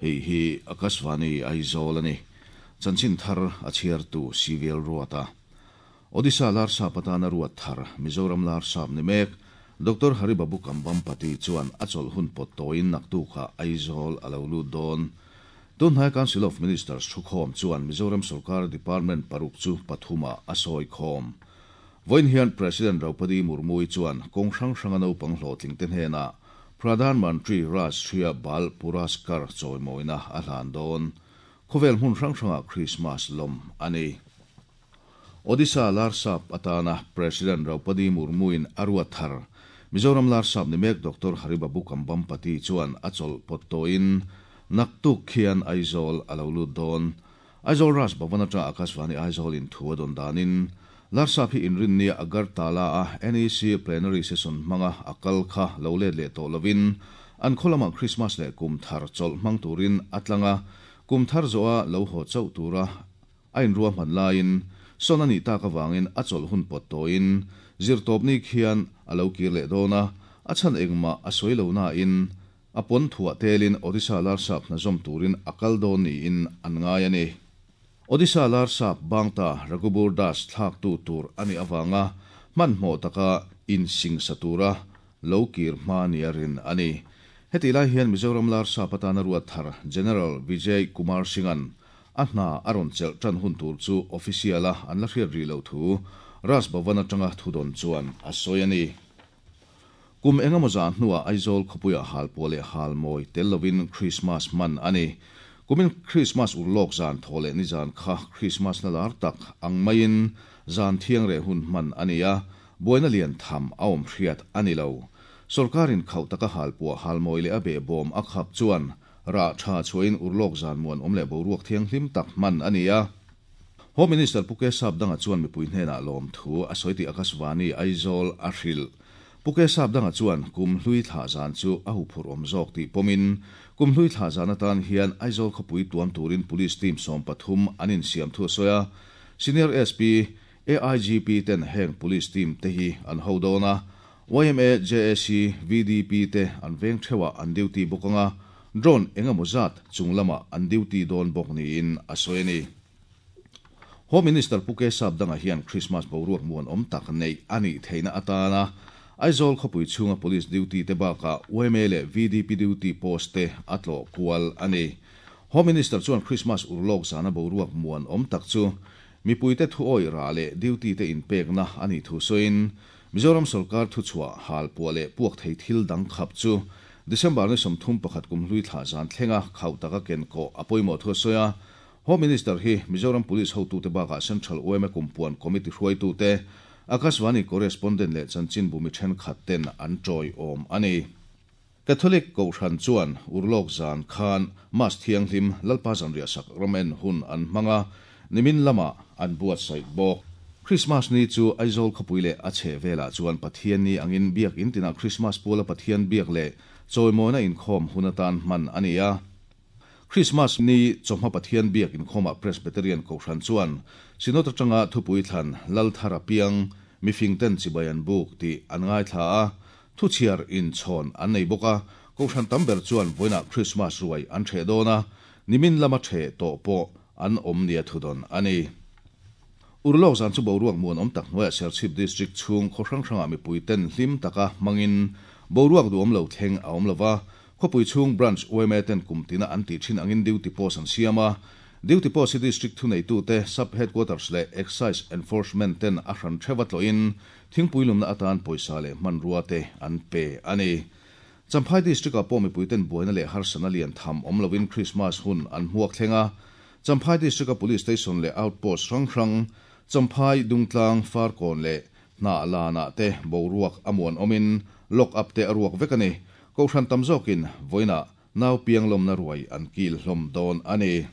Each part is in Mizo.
Hei hi Akashvani Aizawl a ni. Chanchin thar a chhiartu Civil Ruata. Odisha Larsap atana ruat thar Mizoram Larsap ni mek Doctor Haribabu Kambhampati chuan a chawlh hun pawt tawiin naktukah Aizawl a lo lut dawn. Tunhnai Council of Ministers thukhawm chuan Mizoram sorkar department paruk chu pathumah a sawi khawm. Vawiin hian President Draupadi Murmu-i chuan kawng hrang hranga naupang hlawhtlingte hnenah Pradhan Mantri Rashtriya Bal Puraskar chawimawina a hlan dawn. Khawvel hmun hrang hrangah Krismas lawm a ni. Odisha Larsap atana President Draupadi Murmu-in a ruat thar Mizoram Larsap ni mek Doctor Haribabu Kambhampati chuan a chawlh pawt tawhin naktuk khian Aizawl a lo lut dawn. Aizawl Raj Bhavan atanga Akashvani Aizawl in thu a dawn danin Larsap hi inrinnia Agartala-a NEC Plenary Session hmanga a kal kha lo let leh tawh lovin an khaw lamah Krismas leh kum thar chawlh hmang turin a tlang a, kum thar zawha lo haw chauh tura a inruahman laiin sawn a nih tak avangin a chawlh hun pawt tawiin zirtawpni khian a lo kir leh dawn a, a chhan engmah a sawi lo nain a pawn thuah telin Odisha Larsap hna zawm turin a kal dawn niin an ngai a ni. Odisha Larsap Bangta Raghubur Das thlaktu tur a nih avanga hmanhmawh taka insingsa tura lo kir hma nia rin a ni. Hetih lai hian Mizoram Larsap atana ruat thar General Vijay Kumar Singh-a'n a hna a rawn chelh tan hun tur chu official-a an la hriat rih loh thu Raj Bhavan atanga thudawn chuan a sawi a ni. Kum engemaw zah hnuah Aizawl khawpuiah halpuah leh halmawi tel lovin Krismas hman a ni. Kumin Krismas urlawk zan thaw leh nizan kha Krismas na lar tak ang maiin zan thiang reh hun hman a ni a, buaina lian tham a awm hriat a ni lo. Sorkarin khauh taka halpuah halmawi leh a behbawm a khap chuan rah tha chhuahin urlawk zan muanawm leh boruak thianghlim tak hman a ni a. Home Minister Pu Kesap Danga chuan mipui hnenah lawmthu a sawi tih Akashvani Aizawl a hrilh. Pu Kesap Danga chuan kum hlui thlah zan chu a huphurh awm zawk tih pawmin kum hlui thlah zan atan hian Aizawl khawpui tuam turin Police team 13 an insiam thu a sawi a. Senior SP, AIGP ten heng Police team te hi an ho dawn a. Yma, JAC, VDP te an veng theuhah an duty bawk anga drone engemaw zat chung lamah an duty dawn bawk niin a sawi a ni. Home Minister Pu Kesap Danga hian Krismas boruak muanawm tak neih a nih theihna atana Aizawl khawpui chhunga Police duty te bakah yma leh VDP duty post te a tlawh kual a ni. Home Minister chuan Krismas urlawk zana boruak muanawm tak chu mipuite thu awih rah leh duty te inpekna a nih thu sawiin Mizoram sorkar thuchhuah halpuah leh puak thei thil dang khap chu December ni 31 kum hlui thlah zan thlenga khauh taka ken kawh a pawimawh thu a sawi a. Home Minister hi Mizoram Police hotute bakah Central yma Kumpuan Committee hruaitute, Akashvani Correspondent leh chanchinbu mi thenkhat ten an tawiawm a ni. Catholic Kohhran chuan urlawk zan khan Mass thianghlim Lalpa zanriah sak ramen hun an hmang a, nimin lamah an buatsaih bawk. Krismas ni chu Aizawl khawpui leh a chheh velah chuan Pathian ni angin biak in tinah Krismas puala Pathian biak leh chawimawina inkhawm hun atan hman a ni a. Krismas ni chawhma Pathian biak inkhawmah Presbyterian Kohhran chuan Synod atanga thupui thlan Lal Thar a piang, mifing ten chibai an buk tih an ngaithla a, Thuchhiar inchhawn an nei bawk a, Kohhran tam ber chuan vawiinah Krismas ruai an ṭheh dawn a, nimin lama ṭheh tawh pawh an awm nia thudawn a ni. Urlawk zan chu boruak muanawm tak hnuaiah Serchhip District chhung khaw hrang hrangah mipui ten hlim taka hmangin boruak duhawm lo thleng a awm lova, Khawpui chhung Branch yma ten kum tina an tih thin angin duty post an siam a, duty post hi District thuneitute, Sub Headquarters leh Excise Enforcement ten a hran theuha tlawhin Thingpui lumna atan pawisa leh hmanrua te an pe a ni. Champhai District-ah pawh mipuiten buaina leh harsatna lian tham awm lovin Krismas hun an hmuak thleng a. Champhai District-a Police Station leh Outpost hrang hrang, Champhai, Dungtlang, Farkawn leh Hnahlanah te boruak a muan awmin lock up te a ruak vek a ni. Kohhran tam zawkin vawiinah nau piang lawmna ruai an kil hlawm dawn a ni.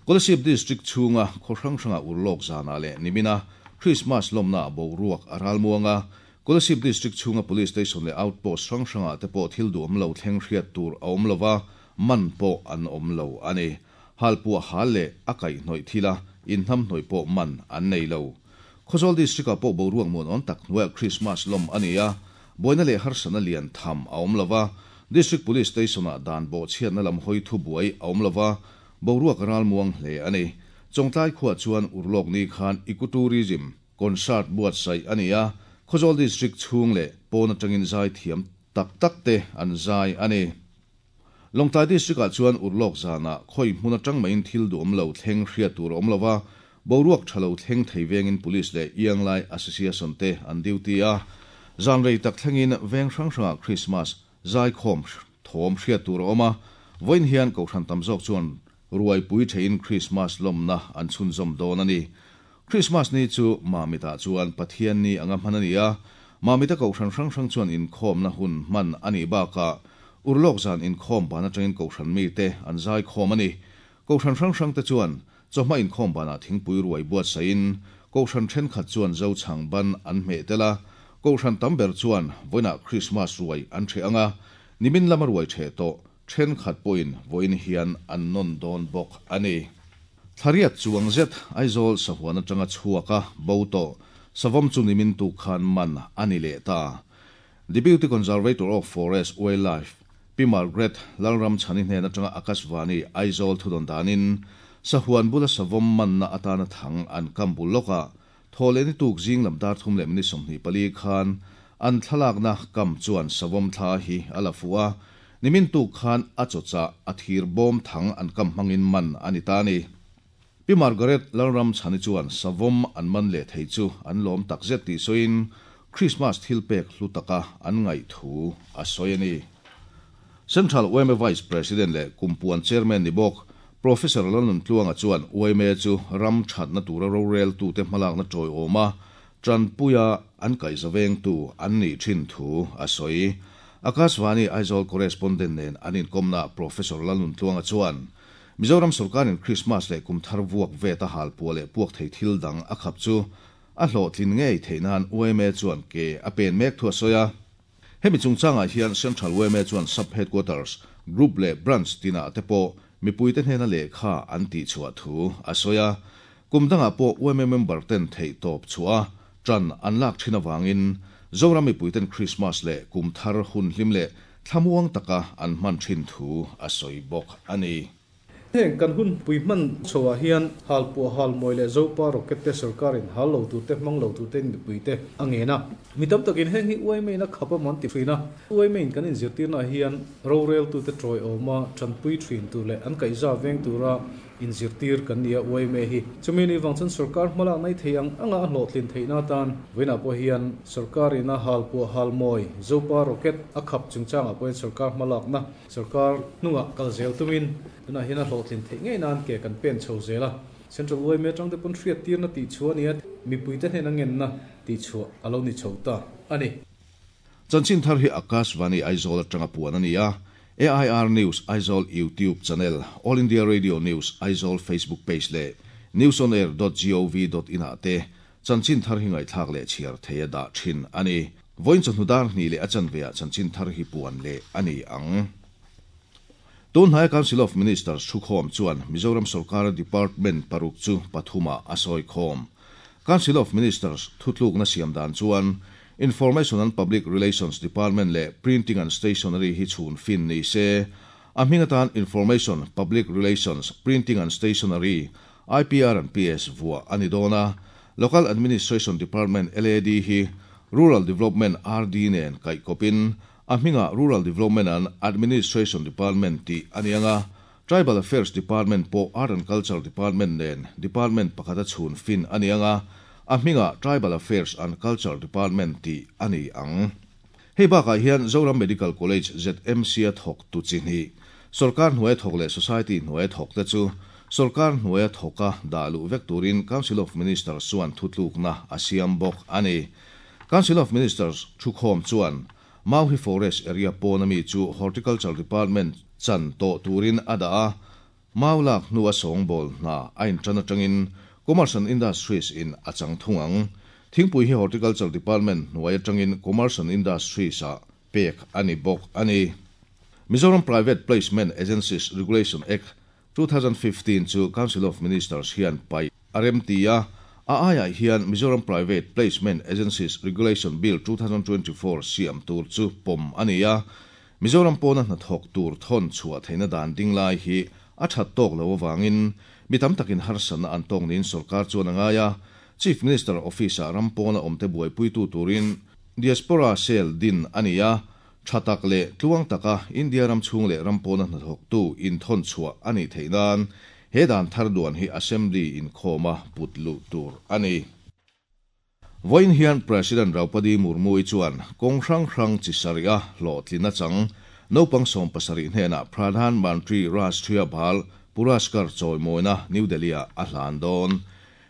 Kolasib District chhunga khaw hrang hranga urlawk zanah leh nimina Krismas lawmna boruak a ral muang a, Kolasib District chhunga Police Station leh Outpost hrang hrangah te pawh thil duhawm lo thleng hriat tur a awm lova, man pawh an awm lo a ni. Halpuah hal leh a kaihhnawih thila inhnamhnawih pawh man an nei lo. Khawzawl District-ah pawh boruak muanawm tak hnuaiah Krismas lawm a ni a, buaina leh harsatna lian tham a awm lova, District Police Station-ah dan bawhchhiatna lam hawi thubuai a awm lova, boruak a ralmuang hle a ni. Chawngtlai khuaah chuan urlawk ni khan Ecotourism Concert buatsaih a ni a, Khawzawl District chhung leh pawn atangin zaithiam tak tak te an zai a ni. Lawngtlai District-ah chuan urlawk zanah khawi hmun atang mahin thil duhawm lo thleng hriat tur a awm lova, boruak tha lo thleng thei vengin Police leh Ianglai Association te an duty a. Zan rei tak thlengin veng hrang hrangah Krismas zaikhawm thawm hriat tur a awm a, vawiin hian Kohhran tam zawk chuan ruaipui theihin Krismas lawmna an chhunzawm dawn a ni. Krismas ni chu Mamitah chuan Pathian ni anga hman a ni a, Mamita Kohhran hrang hrang chuan inkhawmna hun hman a nih bakah Urlawk zan inkhawm ban atangin Kohhran mite an zaikhawm a ni. Kohhran hrang hrangte chuan chawhma inkhawm banah thingpui ruai buatsaihin Kohhran thenkhat chuan Zochhang ban an hmeh tel a, Kohhran tam ber chuan vawiinah Krismas ruai an ṭheh ang a, nimin lama ruai ṭheh tawh thenkhat pawhin vawiin hian an nawn dawn bawk a ni. Thlariat chuang zet Aizawl sahuan atanga chhuak a bo tawh savawm chu nimin tuk khan man a ni leh ta. Deputy Conservator of Forest, Wildlife, Pi Margaret Lalramchhani hnen atanga Akashvani Aizawl thudawn danin sahuan bula savawm manna atana thang an kam bul lawkah Thawhlehni tuk zing lam dar thum leh minute 24 khan an thlalakna kam chuan savawm thla hi a la fuh a, nimin tuk khan a chawchah a thir bawm thang an kam hmangin man a ni ta a ni. Pi Margaret Lalramchhani chuan savawm an man leh thei chu an lawm takzet tih sawiin Krismas thilpek hlu taka an ngaih thu a sawi a ni. Central yma Vice President leh Kumpuan Chairman ni bawk Professor Lalnuntluanga chuan yma chu ram thatna tura roreltute hmalakna tawiawma tanpuia an kaihzavengtu an nih thin thu a sawi. Akashvani Aizawl Correspondent nen an inkawmnaah Professor Lalnuntluanga chuan Mizoram sawrkarin Krismas leh kum thar vuak vet a halpuah leh puak thei thil dang a khap chu a hlawhtlin ngei theih nan yma chuan ke a pen mek thu a sawi a. Hemi chungchangah hian Central yma chuan Sub Headquarters, Group leh Branch tinah te pawh mipuite hnena lehkha an tihchhuah thu a sawi a. Kum dangah pawh yma member ten theihtawp chhuah a, ṭan an lak ṭhin avangin Zoram mipuiten Krismas leh kum thar hun hlim leh thlamuang taka an hman ṭhin thu a sawi bawk a ni. Heng kan hun pui hman chhoah hian halpuah halmawi leh Zopa rocket te sorkarin hal lo tur te hmang lo tur tein mipui te a ngen a. Mi tam takin heng hi uaimain a khap a man ti thin a. Uaimain kan inzirtirnaah hian roreltute tawiawma tanpui thin tur leh an kaihza veng tura inzirtir kan ni a uaime hi. Chumi ni vang chuan sorkar hmalak nei thei ang anga a hlawhtlin theihna atan vawiinah pawh hian sorkarina halpuah halmawi Zopa rocket a khap chungchangah pawhin sorkar hmalakna Sorkar hnungah kal zel tumin tunah hian a hlawhtlin theih ngei nan ke kan pen chho zel a. Central yma atang te pawn hriattirna tih chhuah a ni a, mipuite hnena ngenna tih chhuah a lo ni chho ta a ni. Chanchin thar hi Akashvani Aizawl atanga puan a ni a, AIR News Aizawl YouTube channel, All India Radio News Aizawl Facebook page leh newsonair dot gov dot in ah te Chanchin thar hi ngaihthlak leh chhiar thei a dah thin a ni. Vawiin chawhnu dar hnih leh a chanve ah chanchin thar hi puan leh a ni ang. Tun hnaia Council of Ministers thukhawm chuan Mizoram sawrkara department paruk chu pathum ah a sawi khawm. Council of Ministers thutlukna siam dan chuan Information and Public Relations Department leh Printing and Stationery hi chhun fin ni se, a hming atan Information, Public Relations, Printing and Stationery IPR and PS vuah a ni dawn a, Local Administration Department, LAD, hi Rural Development, RD, nen kaihkawpin a hmingah Rural Development and Administration Department tih a ni ang a, Tribal Affairs Department pawh Art and Culture Department nen department pakhata chhun fin a ni ang a, a hmingah Tribal Affairs and Culture Department tih a ni ang. Hei bakah hian Zoram Medical College, ZMC, a thawk tu chi hnih, sawrkar hnuaia thawk leh society hnuaia thawk te chu sawrkar hnuaia thawka dah luh vek turin Council of Ministers chuan thutlukna a siam bawk a ni. Council of Ministers thukhawm chuan Mauhi Forest area pawn ami chu Horticulture Department chan tawh turin a dah a, Mau lak hnua sawngbawl hna a intan atangin Commerce and Industries in a chang thung ang. Thingpui hi Horticulture Department hnuai atangin Commerce and Industries ah pek a ni bawk a ni. Mizoram Private Placement Agencies Regulation Act, 2015 chu Council of Ministers hian paih a remti a, a aiah hian Mizoram Private Placement Agencies Regulation Bill, 2024 siam tur chu pawm a ni a. Mizoram pawna hnathawk tur thawn chhuah theihna dan ding lai hi a that tawk loh avangin mi tam takin harsatna an tawk niin sorkar chuan a ngai a. Chief Minister Office-ah ram pawna awmte buaipuitu turin Diaspora Cell din a ni a, tha tak leh tluang taka India ram chhung leh ram pawna hnathawktu inthawn chhuah a nih theih nan he dan thar duan hi Assembly inkhawma put luh tur a ni. Vawiin hian President Draupadi Murmu-i chuan kawng hrang hrang chi sarih a hlawhtlin achang naupang 70 hnenah Pradhan Mantri Rashtriya Bal Puraskar chawimawina New Delhi-ah a hlan dawn.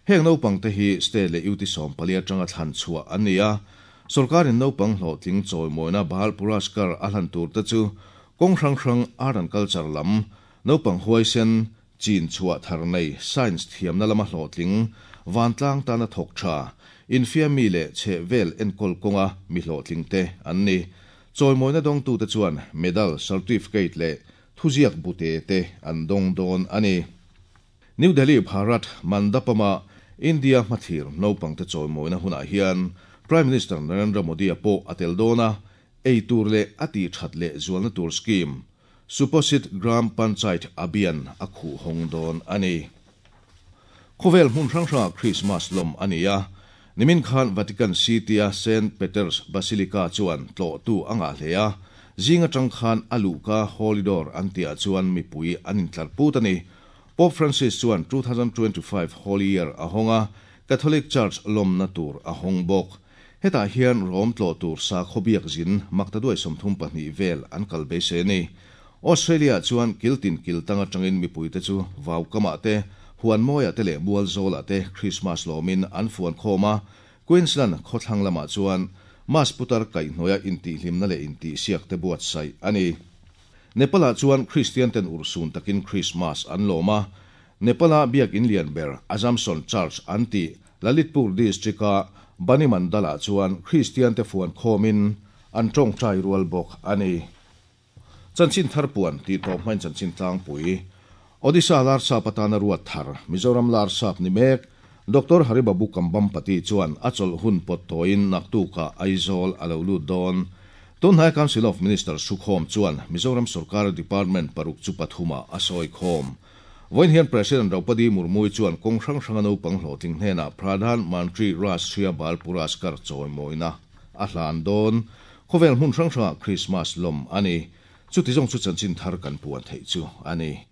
Heng naupang te hi state leh UT 14 atanga thlan chhuah an ni a. Sorkarin naupang hlawhtling chawimawina Bal Puraskar a hlan tur te chu kawng hrang hrang art and culture lam naupang huaisen chin chhuah thar nei science thiamna lama hlawhtling vantlang tana thawk tha infiammi leh chhe vel enkawl kawnga mi hlawhtling te an ni. Chawimawina dawngtu te chuan medal, certificate leh thuziak bute te an dawng dawn a ni. New Delhi Bharat Mandapama India hmathlir naupang te chawimawina hunah hian Prime Minister Narendra Modi a pawh a tel dawn a, ei tur leh a ti that leh zualna tur scheme Suposhit Gram Panchayat Abhiyan a khuh hawng dawn a ni. Khawvel hmun hrang hrangah Christmas lawm a ni a, nimin khan Vatican City-a Saint Peter's Basilica chuan tlawhtu a ngah hle a, zing atang khan a luhka Holy Door an tihah chuan mipui an intlar put a ni. Pope Francis chuan 2025 Holy Year a hawng a, Catholic Church lawmna tur a hawng bawk. Hetah hian Rome tlawh tur sakhaw biak zin maktaduai 32 vel an kal beisei a ni. Australia chuan kiltin kiltang atangin mipuite chu vaukamah te, huan mawiah te leh mual zawlah te Christmas lawmin an fuan khawm a. Queensland khawthlang lamah chuan Mas putar kaihhnuaia intihhlimna leh intihsiak te buatsaih a ni. Nepal-ah chuan Christian ten urhsun takin Christmas an lawm a. Nepal-a biak in lian ber Assumption Church an tih Lalitpur district-a Bani Mandal-ah chuan Christian te fuan khawmin an tawngtai rual bawk a ni. Chanchin thar puan tih tawp hmain chanchin tlangpui. Odisha Larsap atana ruat thar Mizoram Larsap ni mek Dr. Haribabu Kambhampati chuan a chawlh hun pawt tawiin naktukah Aizawl a lo lut dawn. Tunhnai Council of Ministers thukhawm chuan Mizoram Sorkar Department paruk chu pathuma a sawi khawm. Vawiin hian President Draupadi Murmu-i chuan kawng hrang hranga naupang hlawhtling hnenah Pradhan Mantri Rashtriya Bal Puraskar chawimawina a hlan dawn. Khawvel hmun hrang hrangah Christmas lawm a ni. Chuti zawng chu chanchin thar kan puan theih chu a ni.